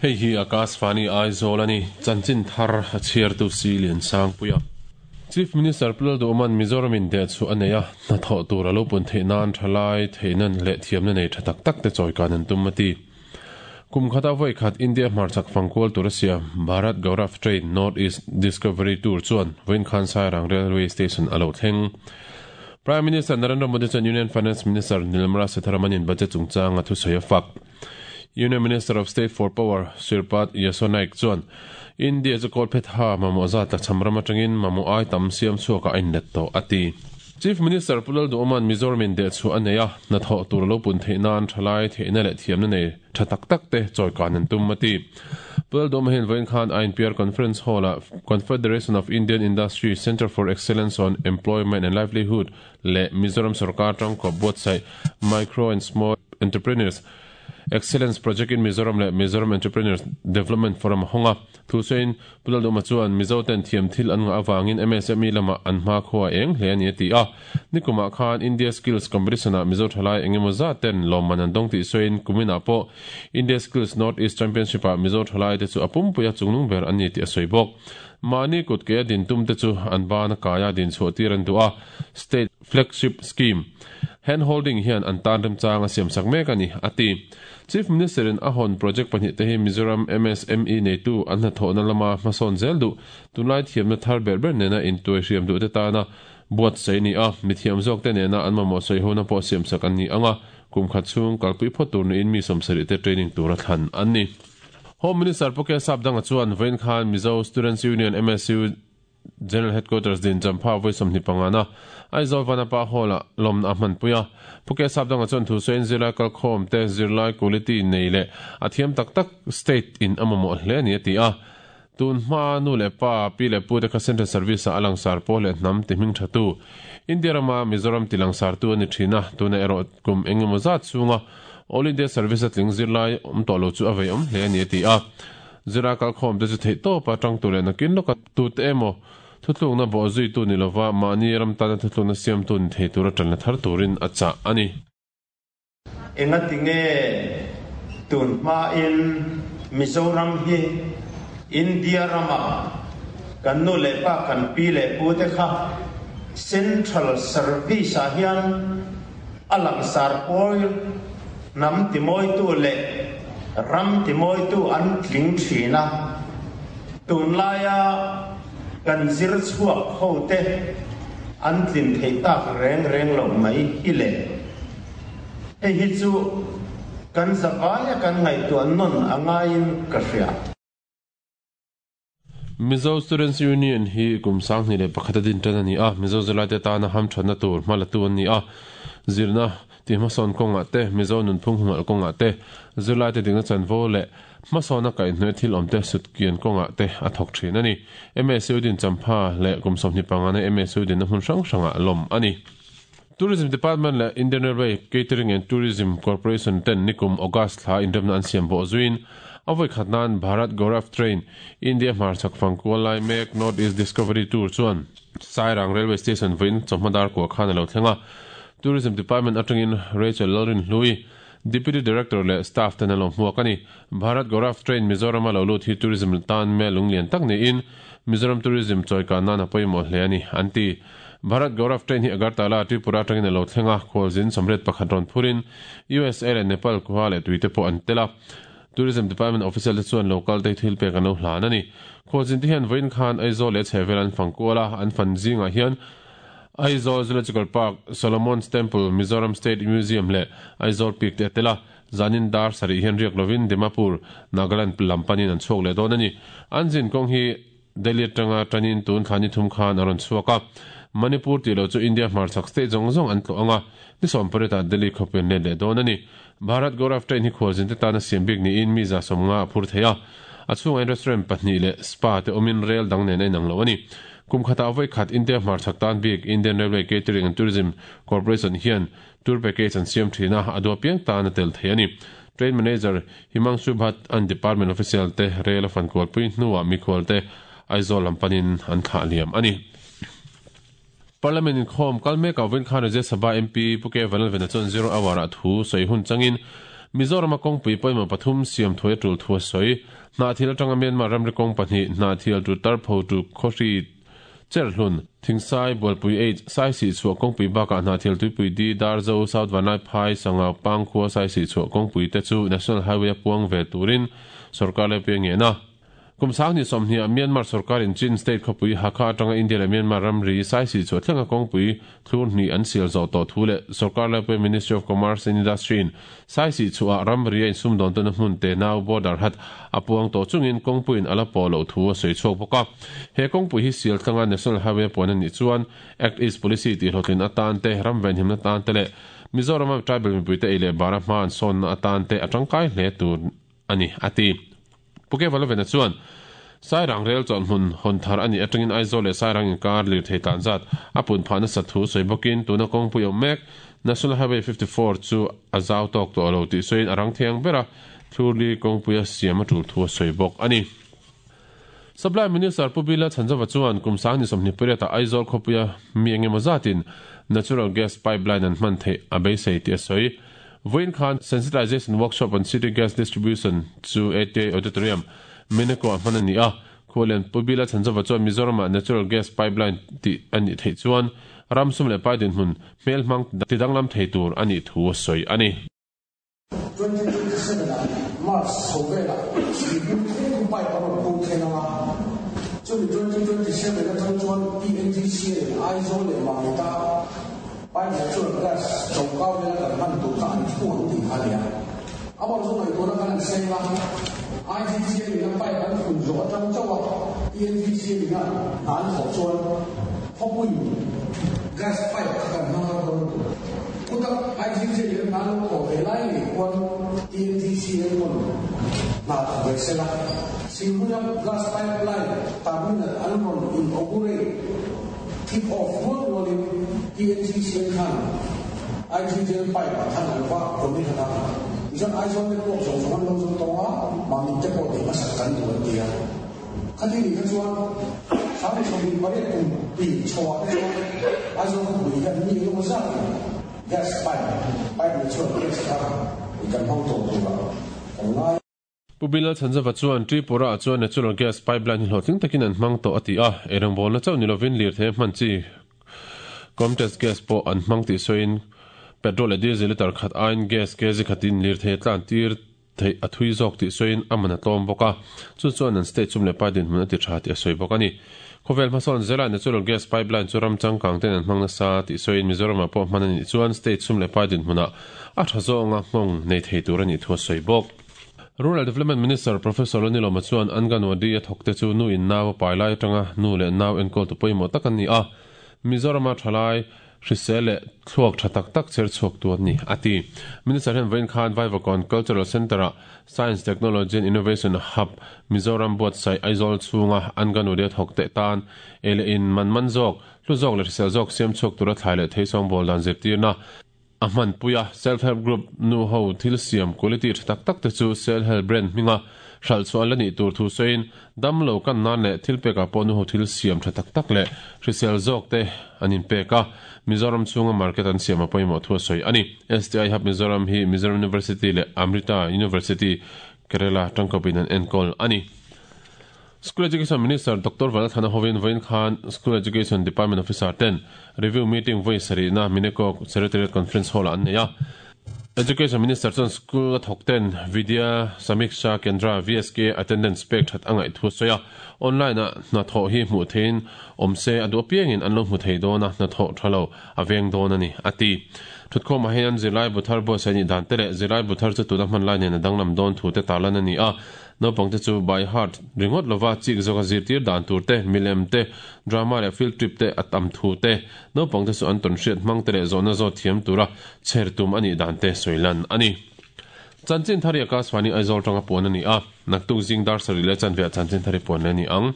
Hei hi Akashvani Aizawl a ni, chanchin thar a chhiartu Si Liansangpuia. Chief Minister Pu Lalduhawma'n Mizoram in deh chhuah a nei a, hnathawh tur a lo pun theih nan thalai theihna leh thiamna nei tha tak tak te chawikan an tum a ti. Kum khata vawi khat India hmarchhak fangkual tur a siam Bharat Gaurav Train North East Discovery Tour chuan vawiin khan Sairang Railway Station a lo thleng. Prime Minister Narendra Modi chuan Union Finance Minister Nirmala Sitharaman in budget chungchanga thusawi a fak. Union Minister of State for Power Shripad Yesso Naik chuan India chu kawlphetha mamawh zat tlachham ram atangin mamawh ai tam siam chhuakah a inlet tawh, a ti. Chief Minister Pu Lalduhawma'n Mizoram in dehchhuah a nei a, hnathawh tur a lo pun theih nan thalai theihna leh thiamna nei tha tak tak te chawikan an tum, a ti. Pu Lalduhawma hian vawiin khan INPR Conference Hall-ah Confederation of Indian Industry Centre for Excellence on Employment and Livelihood leh Mizoram sorkar tangkawp buatsaih Micro and Small Entrepreneurs Excellence Project in Mizoram leh Mizoram Entrepreneurs Development Forum a hawng a. Thu sawiin Pu Lalduhma chuan Mizo ten thiam thil an ngah avangin MSME lamah an hmakhua a eng hle a ni a ti a. Nikumah khan India Skills Competition ah Mizo thalai engemaw zat ten lawmman an dawng tih sawiin kuminah pawh India Skills North East Championship ah Mizo thalai te chu a pumpui a chungnung ber an ni tih a sawi bawk. Mahni kut ke a din tum te chu an ban a kai a din chhuah tir an duh a. State Flagship Scheme, Hand Holding hian an tan remchang a siamsak mek a ni, a ti. Chief Minister-in a hawn project pahnihte hi Mizoram MSME neitu an hnathawhna lama hmasawn zel duh, tunlai thiamna thar ber ber nena intuai hriam duhte tana buatsaih a ni a, mithiam zawkte nena an mamawh sawihona pawh siamsak an ni ang a, kum khat chhung kalpui phawt tur niin mi sawmsarihte training tura thlan an ni. Home Minister Pu K Sapdanga chuan vawiin khan Mizo Students Union, MSU, General Headquarters din Champha vawi 25 na Aizawl Vanapa Hall-ah lawmna a hmanpui a. Pu K Sapdanga chuan thu sawiin zirlai kalkhawm te zirlai quality nei leh a thiam tak tak state in a mamawh hle a ni a ti a. Tun hma nu leh pa, pi leh pu te kha Central Service ah a langsar pawl leh hnam ti hming tha tu, India rama Mizoram ti langsar tu a ni thin a, tuna erawh kum eng emaw zat chhunga All India Service a tling zirlai awm tawh lo chu a vei awm hle a ni a ti a. Zira kalkhawm te chu theih tawpa tang tur leh nakin lawka tute emaw thutlukna bawh zuitu ni lova mahni ram tana thutlukna siamtu ni thei tura tanla thar turin a chah a ni. Engati nge tun hmain Mizoram hi India ramah kan nu leh pa kan pi leh pu te kha Central Service ah hian A langsar pawl hnam timawitu leh ram timawitu an tling thin a, tunlaia kan zir chhuak hote an tlin theih tak reng reng loh mai hi le. Hei hi chu kan zavaia kan ngaihtuah nawn a ngaiin ka hria. Mizo Students Union hi kum 2001 a din tan a ni a, Mizo zirlaite tana hamthatna tur hma latu an ni a. Zirna tihhmasawn kawngah te, Mizo nunphung humhalh kawngah te, zirlaite dikna chanvo leh hmasawna kaihhnawih thil awmte sutkian kawngah te a thawk thin a ni. MSU din champha leh kum 25 na MSU dinna hmun hrang hrangah lawm a ni. Tourism Department leh Indian Railway Catering and Tourism Corporation ten nikum August thla inremna an siam bawh zuiin a vawi khat nan Bharat Gaurav Train, India hmarchhak fangkual lai mek North East Discovery Tour chuan Sairang Railway Station vawiin chawhma dar kua khan a lo thleng a. Tourism Department atangin Rachel Lalrinhlui, Deputy Director leh staff ten an lo hmuak a ni. Bharat Gaurav Train Mizoram a lo lut hi tourism tan mel lunglian tak niin Mizoram tourism chawikan nan a pawimawh hle a ni, an ti. Bharat Gaurav Train hi Agartala, Tripura atangin a lo thleng a, khualzin 81 rawn phurin USA leh Nepal khua leh tuite pawh an tel a. Tourism Department official te chuan local te thil pek an lo hlan a ni. Khualzin te hian vawiin khan Aizawl leh chhehvel an fang kual a, an fan zingah hian Aizawl Zoological Park, Solomon's Temple, Mizoram State Museum leh Aizawl Peak te a tel a. Zanin dar sarih hian riak lovin Dimapur, Nagaland lam panin an chhuak leh dawn a ni. An zin kawng hi Delhi atanga tanin tun thla ni thum khan a rawn chhuak a. Manipur tih loh chu India hmarchhak state zawng zawng an tlawh ang a, ni 18 ah Delhi khawpui an let leh dawn a ni. Bharat Gaurav Train hi khualzin te tana siam bik niin mi 150 a phur thei a. A chhungah hian restaurant pahnih leh spa te awmin rel dang nen a inang lo a ni. Kum khatah vawi khat India hmarchhak tan bik Indian Railway Catering and Tourism Corporation hian Tour package an siam thin a, a duah piang tan a tel thei a ni. Train Manager Himangshu Bhatt an department official te rel a fan kualpui hnuah mikhual te Aizawl lam panin an thlah liam a ni. Parliament inkhawm kal mekah vawiin khan Rajya Sabha MP Pu K Vanlalvena chuan Zero Hour ah thu sawi hun changin Mizorama kawngpui pawimawh pathum siam thuai a tul thu a sawi. Hnahthial atanga Myanmar ramri kawng pahnih, Hnahthial to Tarpho to Khawhri Cherhlun, Thingsai, Bualpui H, Saisih chhuah kawngpui bakah Hnahthial Tuipui D, Darzo, South Vanlaiphai, Sangau, Pangkhua, Saisih chhuah kawngpui te chu National Highway a puang ve turin sorkar laipui a ngen a. Kum 20 sawmhnih ah Myanmar sorkarin Chin State khawpui Hakha atanga India leh Myanmar ramri Saisih chhuah thlenga kawngpui thlur hnih an sial zawh tawh thu leh sorkar laipui Ministry of Commerce and Industry in Saisih chhuah ramri a insumdawn tawhna hmun tenau border hat a puang tawh chungin kawngpuiin a la pawh loh thu a sawi chhuak bawk a. He kawngpui hi sial tlanga National Highway a puan a nih chuan Act East Policy tihhlawhtlin atan te, ram venhimna atan te leh Mizorama tribal mipuite ei leh bara hma an sawnna atan te a tangkai hle tur a ni, a ti. Pu Kevalovena chuan, Sairang rel chawlh hmun hawn thar a nih atangin Aizawl leh Sairang inkar lirthei tlan zat a pun phah nasat thu sawi bawkin tuna kawngpui awm mek National Highway 54 chu a zau tawk tawh lo tih sawiin a rang thiang bera thlurli kawngpuia siam a tul thu a sawi bawk a ni. Supply Minister Pu Bila Chhanzova chuan kum 28 ah Aizawl khawpuia mi engemaw zatin natural gas pipeline an hman theih a beisei tih a sawi. Vawiin khan Sensitization Workshop on City Gas Distribution chu ATI Auditorium, Meneko ah hman a ni a. Khualian Pu Bila Chhanzova chuan Mizoramah Natural Gas Pipeline tih a nih theih chuan ram sum leh pai dinhmun hmelhmang tidanglam thei tur a nih thu a sawi a ni. 2027 ah March chho velah Sihpui thleng khu pipe a rawn kung thleng ang a, chumi 2027 atang chuan PNGC in Aizawl leh Mamita Pipe natural gas chawngkau vela kan hman tur kha an thu ang tih kha a ni a. Amah chu ngaihtuahna khan an seng a, IGC a nihna pipe an phun zawh atang chauh a PNGC a nihna hna an thawh chuan khawpuiin gas pipe kha kan hmang har dawn tur. Chuta IGC a nihna hna an lo thawh ve lai ngei khuan PNGC enkawl hna thawk ve sela, Silhmuina gas pipeline terminal an rawn inaugurate Kick off rual rualin TNGCN khan IGGL pipe ah khan an va commission a, tichuan Aizawl te pawh zawng zawng an lo zawng tawng a, Mamit te pawh tih hmasak kan duh an ti a. Khati nih kha chuan 28 kum pi chho ah te chuan Aizawl khawpui hian mi engemaw zatin gas pipe, pipe ni chuan gas kha i kan hmang tawh turah kan ngai. Pu Bilal Chhanzava chuan Tripura-ah chuan natural gas pipeline hi hlawhtling takin an hmang tawh a ti a, eirawngbawlna chauh ni lovin lirthei a hman chi Comtest gas pawh an hmang tih sawiin petrol leh diesel litre khat aiin gas kg khatin lirthei a tlan tir theih a thui zawk tih sawiin a man a tlawm bawk a, chu chuan an state sum leh pai dinhmun a ti tha tih a sawi bawk a ni. Khawvel hmasawn zela natural gas pipeline chu ram changkang ten an hmang nasa tih sawiin Mizoramah pawh hman a nih chuan state sum leh pai dinhmunah a tha zawnga nghawng nei thei tur a nih thu a sawi bawk. Rural Development Minister Professor Lonilawma chuan Anganwadi a thawkte chu nu in nau a pai lai atanga nu leh nau enkawltu pawimawh tak an ni a, Mizorama thalai hrisel leh thluak tha tak tak cher chhuaktu an ni, a ti. Minister hian vawiin khan Vaivakawn Cultural Centre-ah Science, Technology and Innovation Hub Mizoram buatsaih Aizawl chhunga Anganwadi a thawkte tan ei leh in man man zawk, hlu zawk leh hrisel zawk siam chhuak tura thlai leh theisawngbawl dan zirtirna A hmanpui a, Self Help Group nu ho thil siam quality tha tak tak te chu Sel Help brand hminga hralh chhuah an la nih tur thu sawiin, dam lo kan nan leh thil pekah pawh nu ho thil siam tha tak tak leh hrisel zawk te an inpek a, Mizoram chhunga market an siam a pawimawh thu a sawi a ni. STI Hub Mizoram hi Mizoram University leh Amrita University, Kerala tangkawpin an enkawl a ni. School Education Minister Doctor Vanlalthana hovin vawiin khan School Education Department Officer ten review meeting vawi sarihna Mineko Secretariat Conference Hall-ah an nei a. Education Minister chuan school a thawk ten Vidya Samiksha Kendra, VSK, attendance pek that a ngaih thu a sawi a. Online-a hnathawh hi hmuh theihin awm se a duh apiangin an lo hmu thei dawn a, hnathawh tha lo a veng dawn a ni, a ti. Thutkhawmah hian zirlai bu thar buatsaih nih dan te leh zirlai bu thar chu tuna hman lai nen a danglam dawn thu te tarlan a ni a. Naupangte chu by heart ringawt lova chik zawka zirtir dan tur te, milem te, drama leh field trip te a tam thu te, naupangte chu an tawn hriat hmang te leh zawhna zawt thiam tura chher tum a nih dan te sawi lan a ni. Chanchin thar hi Akashvani Aizawl tanga puan a ni a, naktuk zing dar sarih leh chanveah chanchin thar hi puan leh a ni ang.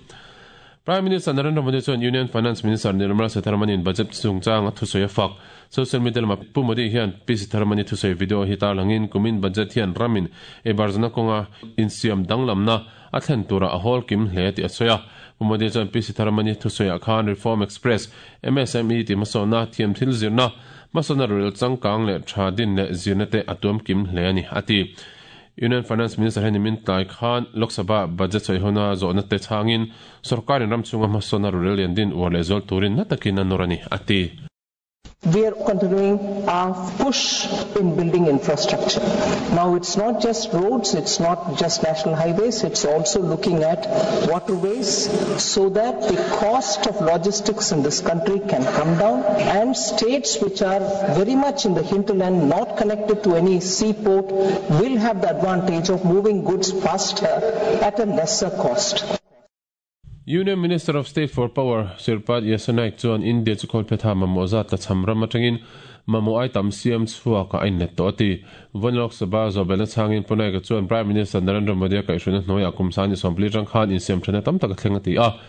Prime Minister Narendra Modi chuan Union Finance Minister Nirmala Sitharaman-in budget chungchang a thusawi a fak. Social media lamah Pu Modi hian Pi Sitharaman-i thusawi video hi tarlangin kumin budget hian ramin eibarzana kawnga insiam danglamna a thlen turah a hawl kim hle tih a sawi a. Pu Modi chuan Pi Sitharaman-i thusawiah khan Reform Express, MSME tih hmasawnna, thiamthil zirna, Hmasawnna rorel changkang leh tha din leh zirna te a tuam kim hle a ni, a ti. Union Finance Minister hian nimin tlai khan Lok Sabha budget sawihona zawhna te chhangin sorkarin ram chhunga hmasawnna rorel lian din uar leh zual turin na takin a nawr a ni, a ti. We are continuing our push in building infrastructure. Now it's not just roads, it's not just national highways, it's also looking at waterways so that the cost of logistics in this country can come down and states which are very much in the hinterland, not connected to any seaport, will have the advantage of moving goods faster at a lesser cost. Union Minister of State for Power, Sirpad Yesso Naik chuan India chu khawlphetha mamawh zat la cham ram atangin mamawh ai tam siam chhuak a inlet tawh a ti. Vawn Lok Sabha zawhbelhna chhangin Pu Naik-a chuan Prime Minister Narendra Modi-a kaihhruaina hnuaiah kum sani sawmpli atang khan insiamthatna tam tak a thleng a ti a.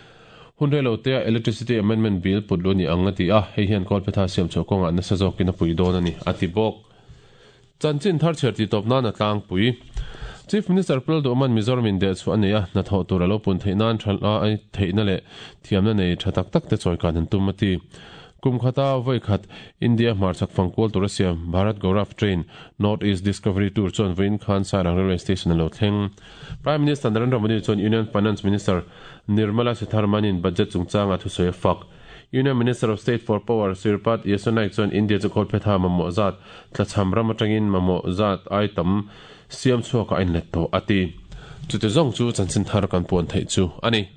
Hun rei lo tea Electricity Amendment Bill put lu a ni ang a ti a, hei hian kawlphetha siam chhuah kawngah nasa zawkin a pui dawn a ni, a ti bawk. Chanchin thar chhiar tih tawp nan a tlangpui. Chief Minister Pu Lalduhman Mizoram in dehchhuah a nei a, hnathawh tur a lo pun theih nan tha lai theihna leh thiamna nei tha tak tak te chawikan an tum a ti. Kum khata vawi khat India hmarchhak fangkual tur a siam Bharat Gaurav Train, North East Discovery Tour chuan vawiin khan Sairang Railway Station a lo thleng. Prime Minister Narendra Modi chuan Union Finance Minister Nirmala Sitharaman-in budget chungchanga thusawi a fak. Union Minister of State for Power Sirpad Yesso Naik chuan India chu khawlphetha mamawh zat tlachham ram atangin mamawh zat ai tam siam chhuakah a inlet tawh a ti. Chute zawng chu chanchin thar kan puan theih chu a ni.